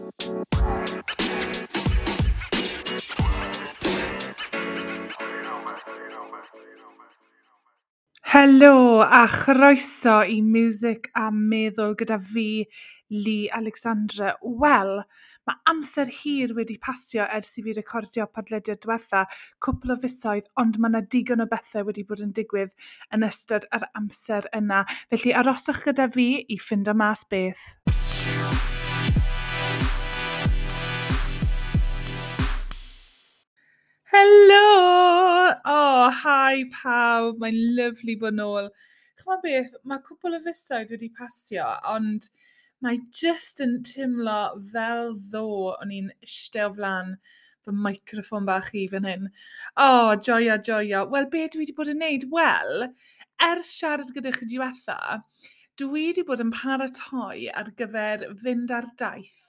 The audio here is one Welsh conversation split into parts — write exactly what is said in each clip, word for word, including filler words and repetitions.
Helo a chroeso i Miwsig a Meddwl gyda fi, Lee Alexandra. Wel, mae amser hir wedi pasio ers i fi recordio podlediad diwetha, cwpl o fisoedd, ond mae yna digon o bethau wedi bod yn digwydd yn ystod yr amser yna. Felly aroswch gyda fi i ffindo mas beth. Helo! Oh, hi pawb, mae'n lyfli bod nôl. Ch'mod beth, mae cwpl o fisoedd wedi pasio, ond mae jyst yn teimlo fel ddo o'n i'n eistedd o flaen fy microffon bach i fan hyn. Oh, joio, joio. Wel, be dwi wedi bod yn neud? Wel, ers siarad gyda chi diwetha, dwi wedi bod yn paratoi ar gyfer fynd ar daith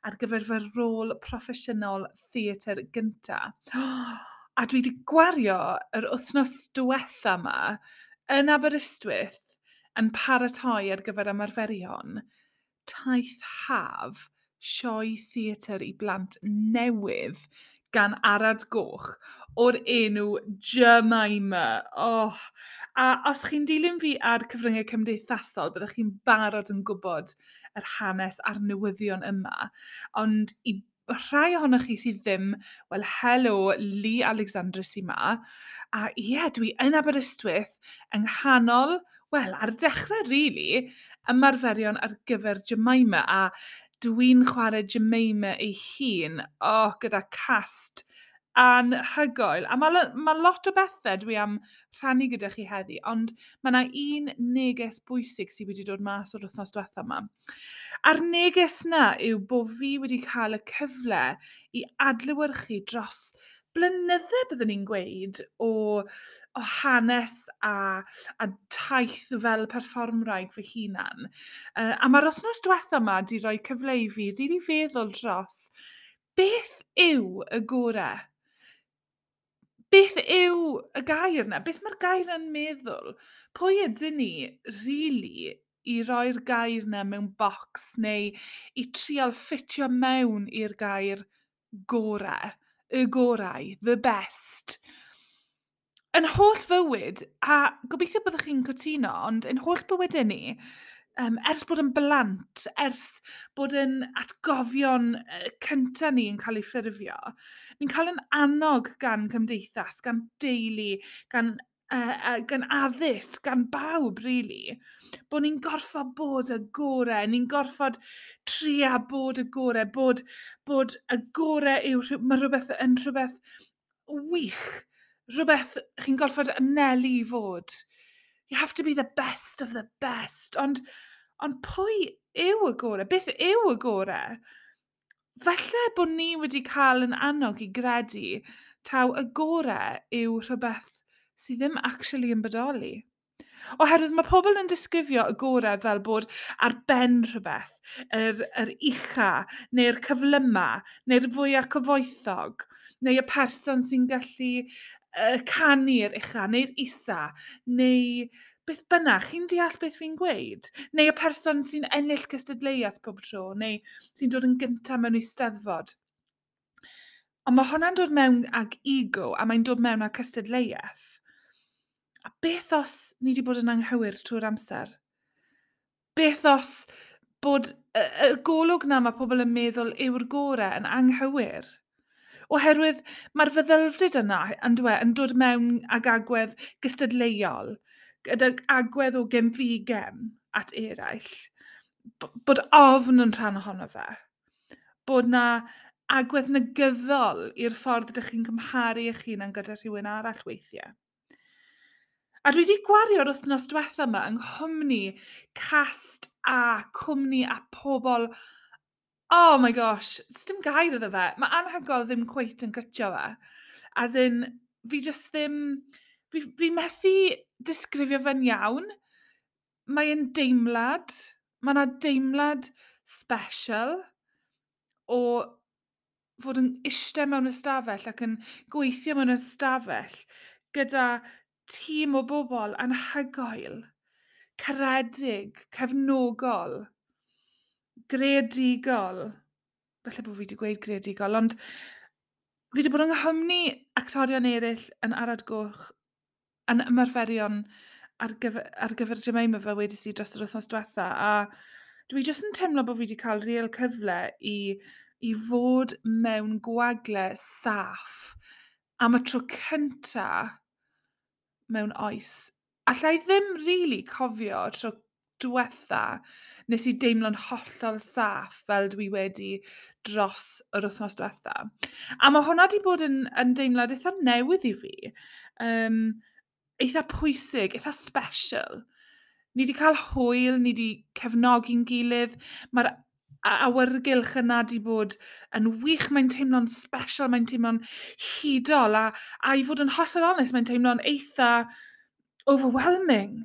ar gyfer fy rôl proffesiynol theatr gynta. A dwi wedi gwario yr wythnos diwetha yma yn Aberystwyth yn paratoi ar gyfer ymarferion taith haf sioe theatr i blant newydd gan Arad Goch o'r enw Jemima. Oh. A os chi'n dilyn fi ar cyfryngau cymdeithasol, byddwch chi'n barod yn gwybod yr hanes a'r newyddion yma. Ond i rhai ohonoch chi sydd ddim, wel, helo, Lee Alexandra sy'n ma. A ie, yeah, dwi yn Aberystwyth yng nghanol, wel, ar dechrau, really, ymarferion ar gyfer Jemima. A dwi'n chwarae Jemima ei hun, oh, gyda cast anhygoel. A mae ma lot o bethau dwi am rhannu gyda chi heddi, ond mae yna un neges bwysig sydd wedi dod mas o'r wythnos diwetha yma. A'r neges na yw bod fi wedi cael y cyfle i adlewyrchu dros blynydde, byddwn ni'n gweud, o, o hanes a, a taith fel perfformwraig fy hunan. Uh, a mae'r wythnos diwetha yma wedi rhoi cyfle i fi rili feddwl dros beth yw y gorau? Beth yw y gair yna? Beth mae'r gair yna'n meddwl? Pwy ydyn ni, really, i roi'r gair yna mewn bocs neu i trial ffitio mewn i'r gair gorau, y gorau, the best? Yn holl fywyd, a gobeithio byddwch chi'n cytuno, ond yn holl bywydau ni, um, ers bod yn blant, ers bod yn atgofion cyntaf ni yn cael ei ffurfio, ni'n cael yn annog gan cymdeithas, gan deulu, gan, uh, uh, gan addysg, gan bawb, really, bod ni'n gorfod bod y gorau, ni'n gorfod tria bod y gorau, bod, bod y gorau yw, mae rhywbeth yn rhywbeth wych, rhywbeth chi'n gorfod anelu i fod. You have to be the best of the best. Ond, ond pwy yw y gorau? Beth yw y gorau? Falle bod ni wedi cael yn annog i gredu taw y gorau yw rhywbeth sydd ddim actually yn bodoli. Oherwydd mae pobl yn disgrifio y gorau fel bod ar ben rhywbeth, yr, yr ucha, neu'r cyflyma, neu'r fwyaf cyfoethog, neu y person sy'n gallu uh, canu'r ucha, neu'r isa, neu beth bynnag, chi'n deall beth fi'n gweud? Neu y person sy'n ennill cystadleuaeth pob tro, neu sy'n dod yn gyntaf mewn eisteddfod. Ond mae hwnna'n dod mewn ag ego, a mae'n dod mewn ag cystadleuaeth. A beth os ni wedi bod yn anghywir trwy'r amser? Beth os bod y, y golwg na mae pobl yn meddwl yw'r gorau yn anghywir? Oherwydd mae'r feddylfryd yna yn, dwe, yn dod mewn ag agwedd gystadleuol, gydag agwedd o genfigem at eraill, bod ofn yn rhan ohono fe, bod na agwedd negyddol i'r ffordd ydych chi'n cymharu eich hunan gyda rhywun arall weithiau. A dwi wedi gwario'r wythnos diwetha yma yng nghwmni cast a cwmni a pobl. Oh my gosh, dim gair iddo fe. Mae anhygoel ddim cweit yn cytio fe. As in, fi just ddim... Fi, fi methu disgrifio fe'n iawn. Mae'n deimlad. Mae yna deimlad special o fod yn eistedd mewn ystafell ac yn gweithio mewn ystafell gyda tîm o bobl anhygoel, caredig, cefnogol, greadigol. Falle bod fi wedi gweud greadigol, ond fi wedi bod yng nghwmni actorion eraill yn Arad Goch, yn ymarferion ar gyfer, ar gyfer Jemima fel wedes i dros yr wythnos diwetha, a dwi jyst yn teimlo bod fi wedi cael real cyfle i, i fod mewn gwagle saff am y tro cynta mewn oes. Alla i ddim really cofio tro diwetha nes i deimlo'n hollol saff fel dwi wedi dros yr wythnos diwetha. A mae hwnna wedi bod yn, yn deimlad eitha newydd i fi. Um, eitha pwysig, eitha special. Ni wedi cael hwyl, ni wedi cefnogi'n gilydd. Mae'r awyrgylch yna wedi bod yn wych, mae'n teimlo'n special, mae'n teimlo'n hudol, a, a i fod yn hollol onest, mae'n teimlo'n eitha overwhelming,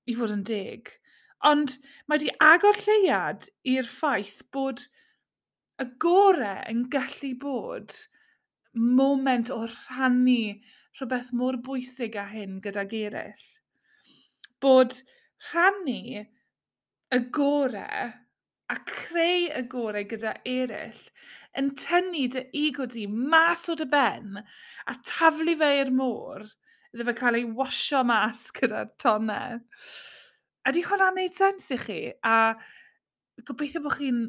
i fod yn deg. Ond mae wedi agor lleuad i'r ffaith bod y gore yn gallu bod moment o rhannu rhywbeth mor bwysig â hyn gydag eraill. Bod rhannu y gore a creu y gore gyda eraill yn tynnu dy ego di mas o dy ben a taflu fe i'r môr iddo fe cael ei wasio mas gyda'r tonnau. Ydy hwnna'n neud sens i chi? A gobeithio bod chi'n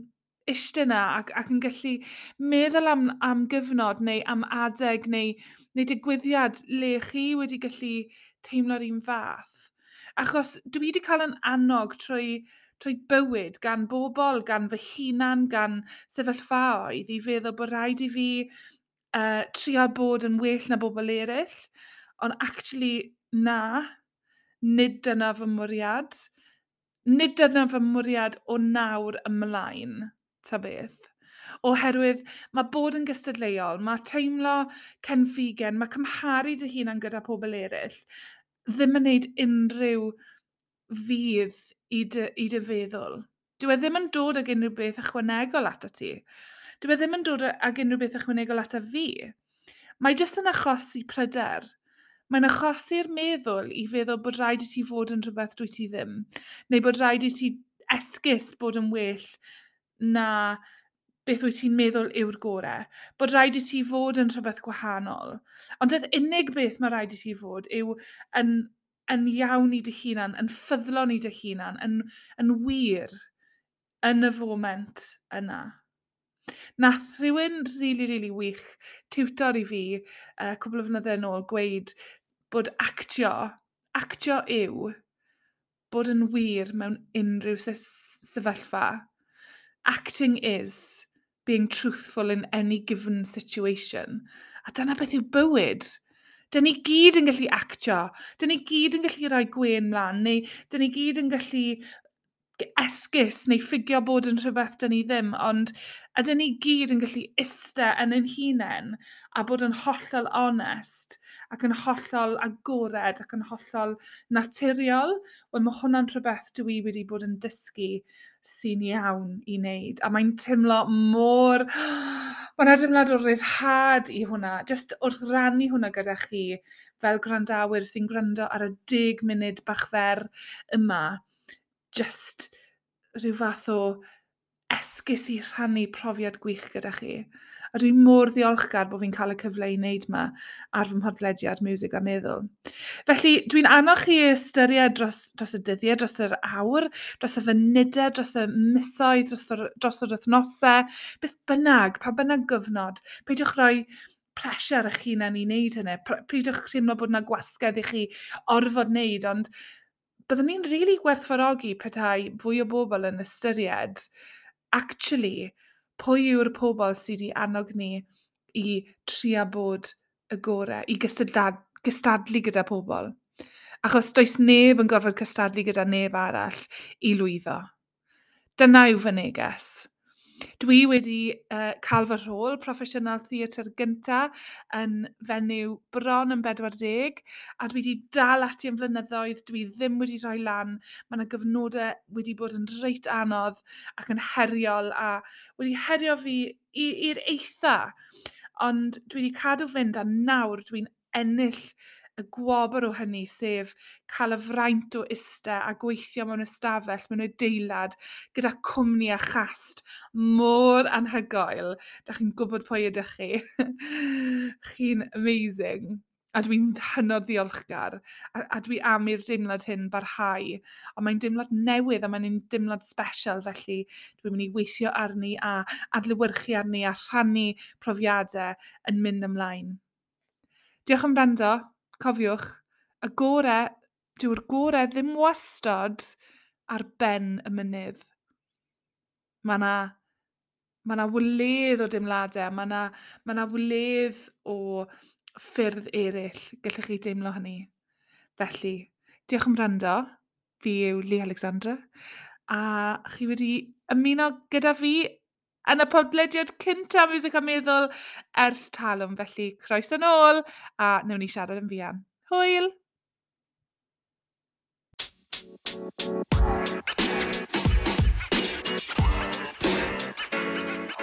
eistedd yna ac, ac yn gallu meddwl am, am gyfnod neu am adeg neu, neu digwyddiad le chi wedi gallu teimlo'r un fath. Achos dwi wedi cael yn annog trwy, trwy bywyd gan bobl, gan fy hunan, gan sefyllfaoedd i feddwl bod rhaid i fi uh, trial bod yn well na bobl eraill. Ond actually, na, nid dyna fy mwriad. Nid dyna fy mwriad o nawr ymlaen, ta beth. Oherwydd mae bod yn gystadleuol, mae teimlo cenfigen, mae cymharu dy hunan gyda pobl eraill, ddim yn gwneud unrhyw fudd i dy, i dy feddwl. Dyw e ddim yn dod ag unrhyw beth ychwanegol ato ti. Dyw e ddim yn dod ag unrhyw beth ychwanegol ato fi. Mae jyst yn achosi pryder. Mae'n achosi'r meddwl i feddwl bod rhaid i ti fod yn rhywbeth dwyt ti ddim. Neu bod rhaid i ti esgus bod yn well na beth wyt ti'n meddwl yw'r gorau. Bod rhaid i ti fod yn rhywbeth gwahanol. Ond yr unig beth mae rhaid i ti fod yw yn, yn iawn i dy hunan, yn ffyddlon i dy hunan, yn, yn wir yn y foment yna. Nath rhywun rili, rili wych tiwtor i fi uh, cwpl o flynyddoedd yn ôl gweud bod actio, actio yw bod yn wir mewn unrhyw sefyllfa. Acting is being truthful in any given situation. A dyna beth yw bywyd. Dyn ni gyd yn gallu actio. Dyn ni gyd yn gallu rhoi gwên mlaen, neu dyn ni gyd yn gallu esgus neu ffugio bod yn rhywbeth dyn ni ddim, ond ydyn ni gyd yn gallu iste yn ein hunain a bod yn hollol onest ac yn hollol agored ac yn hollol naturiol. Wel, mae hwnna'n rhywbeth dwi wedi bod yn dysgu sy'n iawn i wneud. A mae'n teimlo mor... Mae'n deimlad o ryddhad i hwnna. Just wrth rannu hwnna gyda chi fel gwrandawyr sy'n gwrando ar y deg munud bach fer yma. Just rhyw fath o esgus i rhannu profiad gwych gyda chi. A dwi'n mor ddiolchgar bod fi'n cael y cyfle i wneud yma ar fy mhodlediad Miwsig a Meddwl. Felly, dwi'n annog chi ystyried dros, dros y dyddiau, dros yr awr, dros y funudau, dros y misoedd, dros yr, dros yr wythnosau, beth bynnag, pa bynnag gyfnod. Peidiwch rhoi pressure ar eich hunan i wneud hynny. Peidiwch teimlo bod yna gwasgedd i chi orfod wneud, ond byddwn ni'n rili really gwerthfawrogi petai fwy o bobl yn ystyried actually pwy yw'r pobl sydd wedi annog ni i trio bod y gorau, i gystadlu gyda pobl. Achos does neb yn gorfod cystadlu gyda neb arall i lwyddo. Dyna yw fy neges. Dwi wedi uh, cael fy rhôl proffesiynol theatr gynta yn fenyw bron yn bedwar deg, a dwi wedi dal ati yn flynyddoedd, dwi ddim wedi rhoi lan, mae yna gyfnodau wedi bod yn reit anodd ac yn heriol a wedi herio fi i'r eitha. Ond dwi wedi cadw fynd a nawr dwi'n ennill y gwobr o hynny, sef cael y fraint o iste a gweithio mewn ystafell, mewn adeilad, gyda cwmni a chast mor anhygoel. Da chi'n gwybod pwy ydych chi. Chi'n amazing. A dwi'n hynod ddiolchgar. A, a dwi am i'r deimlad hyn barhau. Ond mae'n deimlad newydd a mae'n deimlad special, felly dwi'n mynd i weithio arni a adlewyrchu arni a rhannu profiadau yn mynd ymlaen. Diolch am wrando. Cofiwch, y gore, dyw'r gore ddim wastad ar ben y mynydd. Mae yna ma 'na wledd o deimladau, mae yna ma 'na wledd o ffyrdd eraill gallech chi deimlo hynny. Felly, diolch am wrando. Fi yw Lee Alexandra. A chi wedi ymuno gyda fi yn y podlediad cyntaf Miwsig a Meddwl ers talwm. Felly, croeso nôl a wnawn ni siarad yn fuan. Hwyl!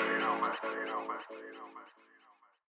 You know, man. You know, man.